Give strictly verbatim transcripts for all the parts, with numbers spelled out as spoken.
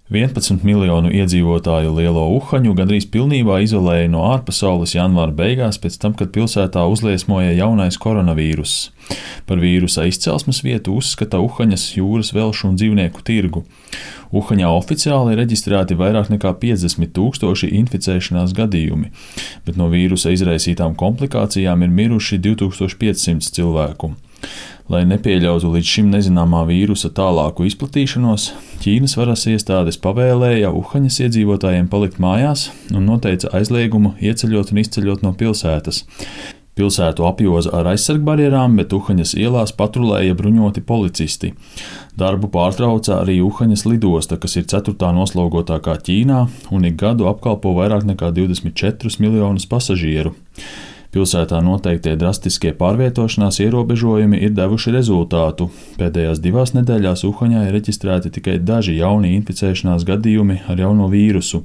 vienpadsmit miljonu iedzīvotāju lielo Uhaņu gandrīz pilnībā izolēja no ārpasaules janvāra beigās, pēc tam, kad pilsētā uzliesmoja jaunais koronavīruss. Par vīrusa izcelsmes vietu uzskata Uhaņas jūras velšu un dzīvnieku tirgu. Uhaņā oficiāli ir reģistrēti vairāk nekā piecdesmit tūkstoši inficēšanās gadījumi, bet no vīrusa izraisītām komplikācijām ir miruši divi tūkstoši piecsimt cilvēku. Lai nepieļautu līdz šim nezināmā vīrusa tālāku izplatīšanos, Ķīnas varas iestādes pavēlēja Uhaņas iedzīvotājiem palikt mājās un noteica aizliegumu ieceļot un izceļot no pilsētas. Pilsētu apjoza ar aizsargbarjerām, bet Uhaņas ielās patrulēja bruņoti policisti. Darbu pārtrauca arī Uhaņas lidosta, kas ir ceturtā noslogotākā Ķīnā un ik gadu apkalpo vairāk nekā divdesmit četrus miljonus pasažieru. Pilsētā noteiktie drastiskie pārvietošanās ierobežojumi ir devuši rezultātu. Pēdējās divās nedēļās Uhaņā ir reģistrēti tikai daži jauni inficēšanās gadījumi ar jauno vīrusu.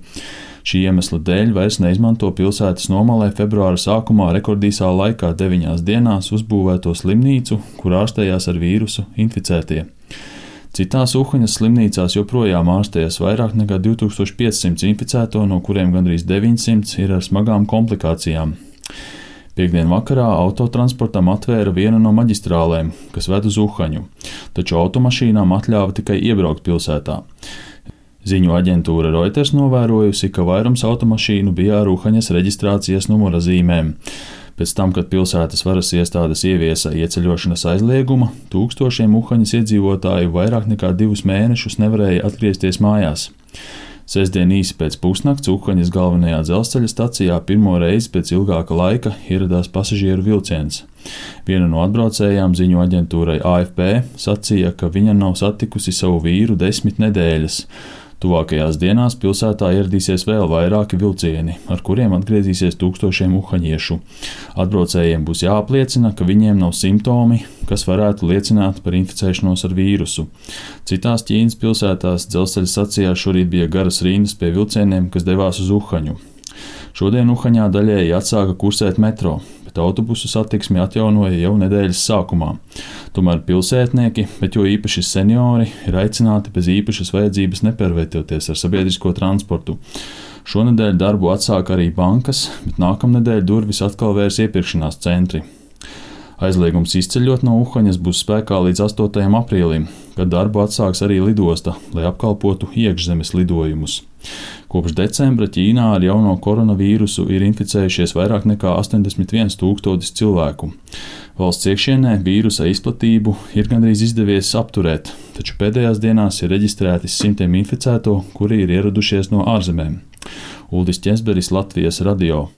Šī iemesla dēļ vairs neizmanto pilsētas nomalē februāra sākumā rekordīsā laikā deviņās dienās uzbūvēto slimnīcu, kur ārstējās ar vīrusu inficētie. Citās Uhaņas slimnīcās joprojām ārstējas vairāk nekā divi tūkstoši piecsimt inficēto, no kuriem gandrīz deviņsimt ir ar smagām komplikācijām. Piektdien vakarā autotransportam atvēra vienu no maģistrālēm, kas ved uz Uhaņu, taču automašīnām atļāva tikai iebraukt pilsētā. Ziņu aģentūra Reuters novērojusi, ka vairums automašīnu bija ar Uhaņas reģistrācijas numura zīmēm. Pēc tam, kad pilsētas varas iestādes ieviesa ieceļošanas aizliegumu, tūkstošiem Uhaņas iedzīvotāju vairāk nekā divus mēnešus nevarēja atgriezties mājās. Sestdien īsi pēc pusnakts Uhaņas galvenajā dzelzceļa stacijā pirmo reizi pēc ilgāka laika ieradās pasažieru vilciens. Viena no atbraucējām ziņu aģentūrai A F P sacīja, ka viņa nav satikusi savu vīru desmit nedēļas. Tuvākajās dienās pilsētā ieradīsies vēl vairāki vilcieni, ar kuriem atgriezīsies tūkstošiem uhaņiešu. Atbraucējiem būs jāapliecina, ka viņiem nav simptomi, kas varētu liecināt par inficēšanos ar vīrusu. Citās Ķīnas pilsētās dzelzceļa stacijās šorīt bija garas rindas pie vilcieniem, kas devās uz Uhaņu. Šodien Uhaņā daļēji atsāka kursēt metro, bet autobusu satiksmi atjaunoja jau nedēļas sākumā. Tomēr pilsētnieki, bet jo īpaši seniori, ir aicināti bez īpašas vajadzības nepārvietoties ar sabiedrisko transportu. Šonedēļ darbu atsāka arī bankas, bet nākamnedēļ durvis atkal vērs iepirkšanās centri. Aizliegums izceļot no Uhaņas būs spēkā līdz astotajam aprīlim, kad darbu atsāks arī lidosta, lai apkalpotu iekšzemes lidojumus. Kopš decembra Ķīnā ar jauno koronavīrusu ir inficējušies vairāk nekā astoņdesmit viens tūkstotis cilvēku. Valsts iekšienē vīrusa izplatību ir gandrīz izdevies apturēt, taču pēdējās dienās ir reģistrēti simtiem inficēto, kuri ir ieradušies no ārzemēm. Uldis Ķesberis, Latvijas radio.